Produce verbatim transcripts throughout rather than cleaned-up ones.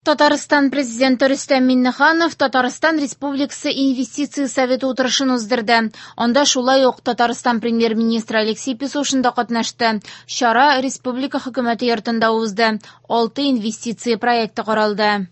Татарстан Президенты Рөстәм Миңнеханов Татарстан Республикасы Инвестиция советы утырышын уздырды. Анда шулай ук Татарстан Премьер-министры Алексей Песошин да катнашты. Чара Республика хөкүмәте йортында узды. Алты инвестиция проекты каралды.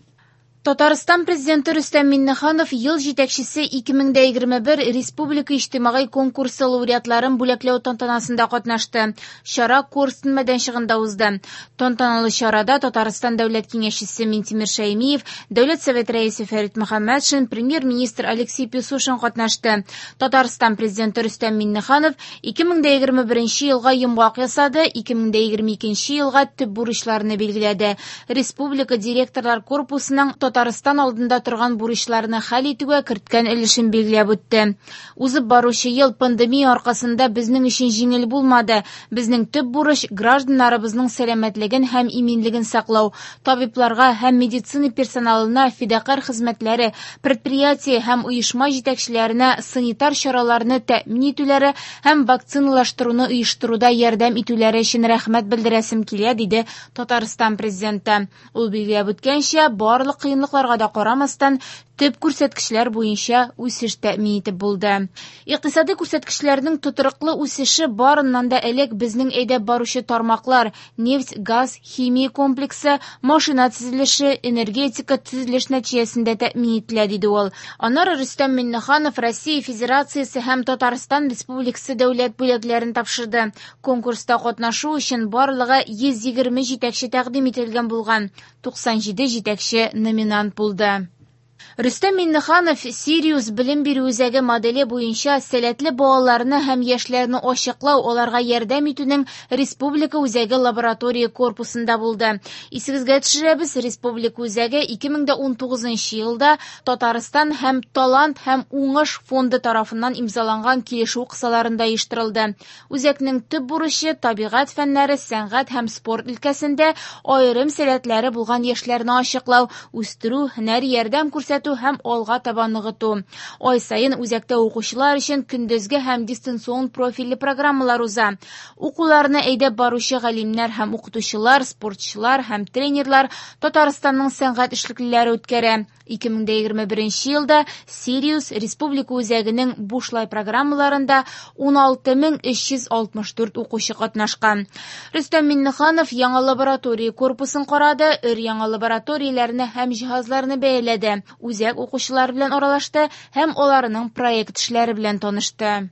Татарстан Президенты Рөстәм Миңнеханов ел җитәкчесе ике мең дә егерме бер республика иҗтимагый конкурсы лауреатларын бүләкләү тантанасында катнашты. Чара Корстон мәйданчыгында узды. Тантаналы чарада Татарстан Дәүләт Киңәшчесе Минтимер Шәймиев, Дәүләт Советы рәисе Фәрит Мөхәммәтшин, Премьер-министр Алексей Песошин катнашты. Татарстан Президенты Рөстәм Миңнеханов ике мең дә егерме беренче елга йомгак ясады, ике мең дә егерме икенче елга төп бурычларны билгеләде. Республика директорлар корпусының Татарстан алдында торган бурычларны хәл итүгә керткән өлешен билгеләп үтте. Узып баручы ел пандемия аркасында безнең өчен җиңел булмады. Безнең төп бурыч гражданнарыбызның сәламәтлеген һәм иминлеген саклау, табибларга һәм медицина персоналына фидакарь хезмәтләре, предприятие һәм оешма җитәкчеләренә санитар чараларны тәэмин итүләре һәм вакциналаштыруны оештыруда ярдәм итүләре өчен рәхмәт белдерәсем килә, диде Татарстан Президенты. Ул билгеләп үткәнчә, барлык кыенлыкларга да карамастан, төп күрсәткечләр буенча үсеш тәэмин итеп булды. Икътисади күрсәткечләрнең тотрыклы үсеше барыннан да элек безнең әйдәп баручы тармаклар, нефть, газ, химия комплексы, машина төзелеше, энергетика төзелеш нәтиҗәсендә тәэмин ителә, диде ул. Аннары Рөстәм Миңнеханов Россия Федерациясе һәм Татарстан Республикасы дәүләт бүләкләрен тапшырды. Конкурста катнашу өчен барлыгы йөз егерме җитәкче тәкъдим ителгән булган. Туксан җиде җитәкче номинант булды. Рөстәм Миңнеханов Сириус белем бирү үзәге моделе буенча сәләтле балаларны һәм яшьләрне ачыклау, аларга ярдәм итүнең Республика үзәге лаборатория корпусында булды. Исегезгә төшерәбез, Республика үзәге ике мең дә унтугызынчы елда Татарстан һәм Талант һәм Уңыш фонды тарафыннан имзаланган килешү кысаларында оештырылды. Үзәкнең төп бурычы табигать фәннәре, сәнгать һәм спорт өлкәсендә аерым сәләтләре булган яшьләрне ачыклау, үстерү, һөнәри ярдәм күрсәтү һәм алга таба ныгыту. Ай саен үзәктә укучылар өчен көндезге һәм дистанцион профильле программалар уза. Укуларны әйдәп баручы галимнәр һәм укытучылар, спортчылар һәм тренерлар Татарстанның сәнгать эшлеклеләре үткәрә. Ике мең дә егерме беренче елда Сириус Республика үзәгенең бушлай программаларында ун алты мең өч йөз алтмыш дүрт укучы катнашкан. Рөстәм Миңнеханов яңа лаборатория корпусын карады, өр-яңа лабораторияләрне һәм җиһазларны бәяләде. Үзәк укучылар белән аралашты һәм аларның проект эшләре белән танышты.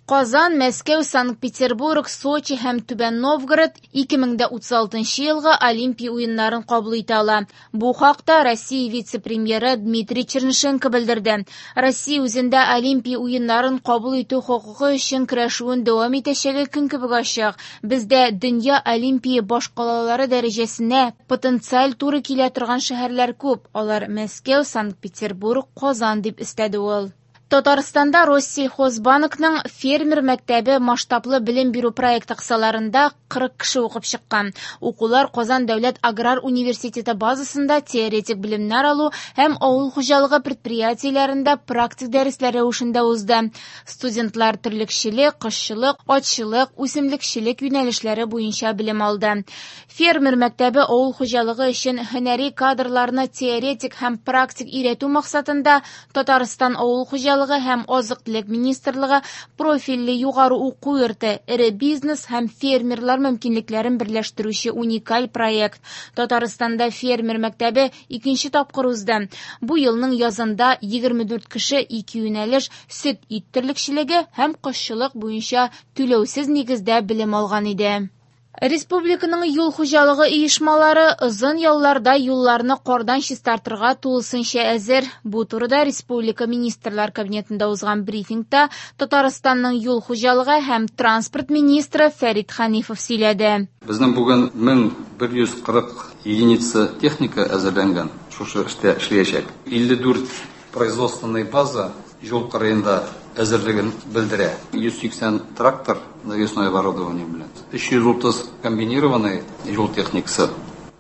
Казан, Мәскәү, Санкт-Петербург, Сочи һәм Түбән Новгород ике мең дә утыз алтынчы елгы Олимпия уеннарын кабул итә ала. Бу хакта Россия вице-премьеры Дмитрий Чернышенко белдерде. Россия үзендә Олимпия уеннарын кабул итү хокукы өчен көрәшүен дәвам итәчәге көн кебек ачык. Бездә дөнья Олимпия башкалалары дәрәҗәсенә потенциаль туры килә торган шәһәрләр күп. Алар Мәскәү, Санкт-Петербург, Казан дип өстәде ул. Татарстанда Россельхозбанкның фермер мәктәбе масштаблы белем бирү проекты кысаларында кырык кеше укып чыккан. Укулар Казан дәүләт аграр университеты базасында теоретик белемнәр алу һәм авыл хуҗалыгы предприятиеләрендә практик дәресләр рәвешендә узды. Студентлар терлекчелек, кошчылык, атчылык, үсемлекчелек юнәлешләре буенча белем алды. Фермер мәктәбе авыл хуҗалыгы өчен һөнәри кадрларны теоретик һәм практик өйрәтү максатында Татарстан авыл хуҗалыгы һәм азык-төлек министрлыгы профильле югары уку йорты, эре бизнес һәм фермерлар мөмкинлекләрен берләштерүче уникаль проект. Татарстанда фермер мәктәбе икенче тапкыр узды. Бу елның язында егерме дүрт кеше ике юнәлеш сөт ит терлекчелеге һәм кошчылык буенча түләүсез нигездә белем алган иде. Республиканың юл хуҗалыгы оешмалары озын ялларда юлларны кардан чистартырга тулысынча әзер. Бу турыда Республика Министрлар Кабинетында узган брифингта Татарстанның юл хуҗалыгы һәм транспорт министры Фәрит Ханифов сөйләде. Безнең бүген мең бер йөз кырык единица техника әзерләнгән, шушы эштә эшләячәк. Илле дүрт производственный база юл кырыенда әзерлеген белдерә. Йөз сиксән трактор навесное оборудование белән, өч йөз утыз комбинированный юл техникасы,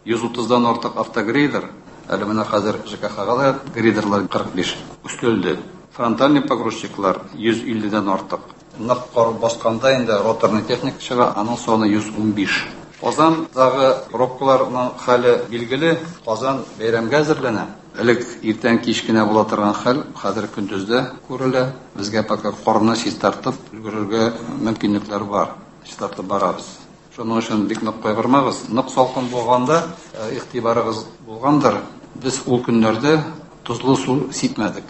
йөз утыздан артык автогрейдер, әле менә хәзер Ж К Х-га да грейдерлар кырык биш өстәлде. Фронтальный погрузчиклар йөз илледән артык. Нык кар басканда инде роторный техника чыга, аның саны йөз унбиш. Казандагы пробкаларның хәле билгеле. Казан бәйрәмгә әзерләнә. Элек иртән кич кенә була торган хәл хәзер көндез дә күрелә. Безгә пока карны чистартып өлгерергә мөмкинлекләр бар. Чистартып барабыз. Шуның өчен бик нык кайгырмагыз. Нык салкын булганда игътибарыгыз булгандыр. Без ул көннәрдә тозлы су сипмәдек.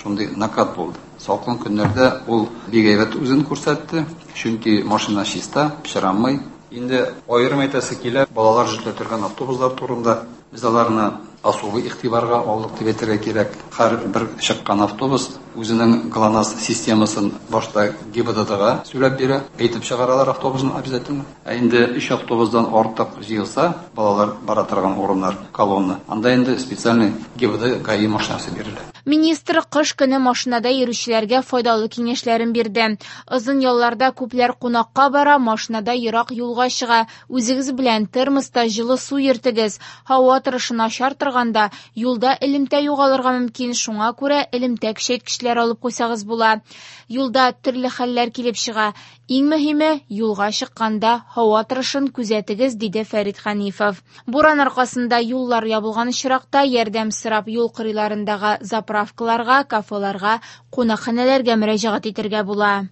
Шундый накат булды. Салкын көннәрдә ул бик әйбәт үзен күрсәтте. Чөнки машина чиста, пычранмый. Инде аерым әйтәсе килә, балалар йөртә торган автобуслар турында. Без аларны особый игътибарга алдык дип әйтергә кирәк. Һәр бер чыккан автобус үзенең ГЛОНАСС системасын башта ГИБДДга сөйләп бирә, әйтеп чыгаралар автобусны обязательно. Ә инде өч автобусдан артык җыелса, балалар бара торган урыннар, колонна, анда инде специальный ГИБДД ГАИ машинасы бирелә. Министр кыш көне машинада йөрүчеләргә файдалы киңәшләрен бирде. Озын ялларда күпләр кунакка бара, машинада ерак юлга чыга. Үзегез белән термоста җылы су йөртегез. Һава торышы начар торганда юлда элемтә югалырга мөмкин, шуңа күрә элемтә көчәйткечләр алып куйсагыз була. Юлда төрле хәлләр килеп чыга. Иң мөһиме, юлга чыкканда һава торышын күзәтегез, диде Фәрит Хәнифов. Буран аркасында юллар ябылган очракта ярдәм сорап юл кырыйларындагы заправкаларга, кафеларга, кунакханәләргә мөрәҗәгать итәргә була.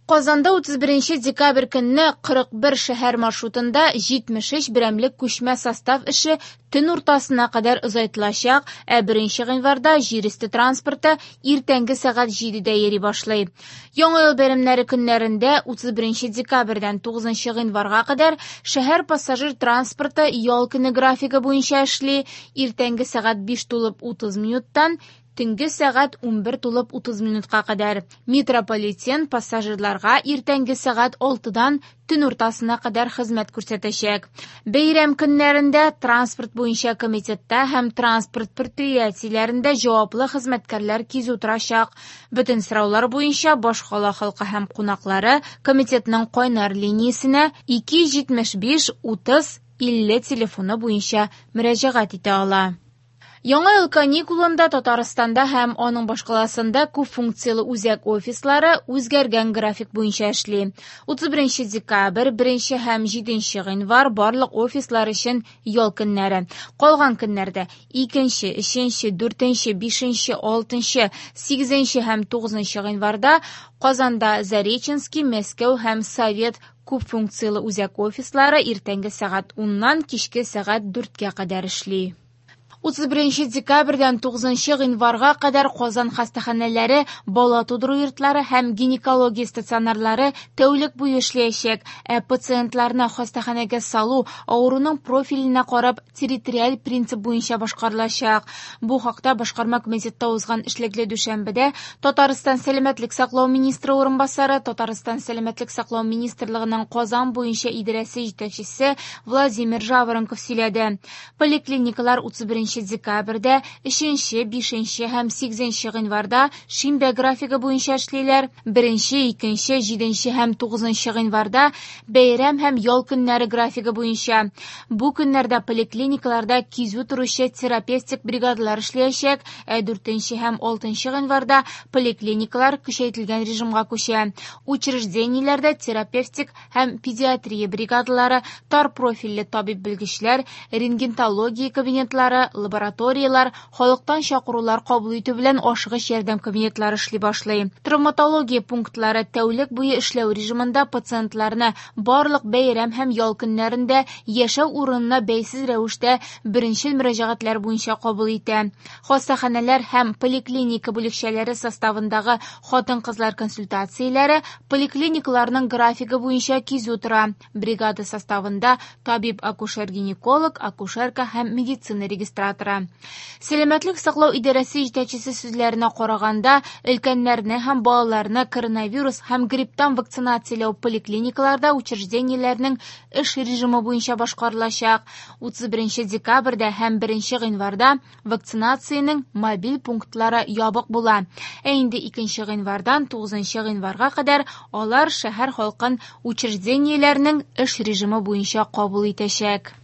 Казанда утыз беренче декабрь көнне кырык бер шәһәр маршрутында җитмеш өч берәмлек күчмә состав эше төн уртасына кадәр озайтылачак, ә беренче гыйнварда җир өсте транспорты иртәнге сәгать җидедә йөри башлый. Яңа ел бәйрәмнәре көннәрендә утыз беренче декабрьдән тугызынчы гыйнварга кадәр шәһәр пассажир транспорты ял көне графигы буенча эшли. Иртәнге сәгать биш тулып утыз минуттан төнге сәгать унбер тулып утыз минутка кадәр. Метрополитен пассажирларга иртәнге сәгать алтыдан төн уртасына кадәр хезмәт күрсәтәчәк. Бәйрәм көннәрендә транспорт буенча комитетта һәм транспорт предприятиеләрендә җаваплы хезмәткәрләр кизү торачак. Бөтен сораулар буенча башкала халкы һәм кунаклары комитетның кайнар линиясенә ике йөз җитмеш биш утыз илле телефоны буенча мөрәҗәгать итә ала. Яңа ел каникулында Татарстанда һәм аның башкаласында күп функцияле үзәк офислары үзгәргән график буенча эшли. утыз беренче декабрь, беренче һәм җиденче гыйнвар барлык офислар өчен ял көннәре. Калган көннәрдә икенче, өченче, дүртенче, бишенче, алтынчы, сигезенче һәм тугызынчы гыйнварда Казанда Зареченский, Мәскәү һәм Совет күп функцияле үзәк офислары иртәнге сәгать уннан кичке сәгать дүрткә кадәр эшли. утыз беренче декабрьдән тугызынчы гыйнварга кадәр Казан хастаханәләре, бала тудыру йортлары һәм гинекология стационарлары тәүлек буе эшләячәк. Ә пациентларны хастаханәгә салу авыруның профиленә карап территориаль принцип буенча башкарылачак. Бу хакта башкарма комитетта узган эшлекле дүшәмбедә Татарстан сәламәтлек саклау министры урынбасары, Татарстан сәламәтлек саклау министрлыгының Казан буенча идарәсе җитәкчесе Владимир Жаворонков сөйләде. Поликлиникалар утыз беренче декабрьдә, өченче, бишенче һәм сигезенче гыйнварда шимбә графигы буенча эшлиләр. Беренче, икенче, җиденче һәм тугызынчы гыйнварда бәйрәм һәм ял көннәре графигы буенча. Бу көннәрдә поликлиникаларда кизү торучы терапевтик бригадалар эшләячәк, ә дүртенче һәм алтынчы гыйнварда поликлиникалар көчәйтелгән режимга күчә. Учреждениеләрдә терапевтик һәм педиатрия бригадалары, тар профильле табиб белгечләр, рентгенология кабинетлары, лабораториялар, халыктан чакырулар кабул итү белән ашыгыч ярдәм кабинетлары эшли башлый. Травматология пунктлары тәүлек буе эшләү режимында пациентларны барлык бәйрәм һәм ял көннәрендә яшәү урынына бәйсез рәвештә беренчел мөрәҗәгатьләр буенча кабул итә. Хастаханәләр һәм поликлиника бүлекчәләре составындагы хатын-кызлар консультацияләре поликлиникаларның графигы буенча кизү тора. Бригада составында табиб акушер-гинеколог, акушерка һәм медицина регистраторы. Сәламәтлек саклау идарәсе җитәкчесе сүзләренә караганда, өлкәннәрне һәм балаларны коронавирус һәм грипптан вакцинацияләү поликлиникаларда учреждениеләрнең эш режимы буенча башкарылачак. утыз беренче декабрьдә һәм беренче гыйнварда вакцинациянең мобиль пунктлары ябык була. Ә инде икенче гыйнвардан тугызынчы гыйнварга кадәр алар шәһәр халкын учреждениеләрнең эш режимы буенча кабул итәчәк.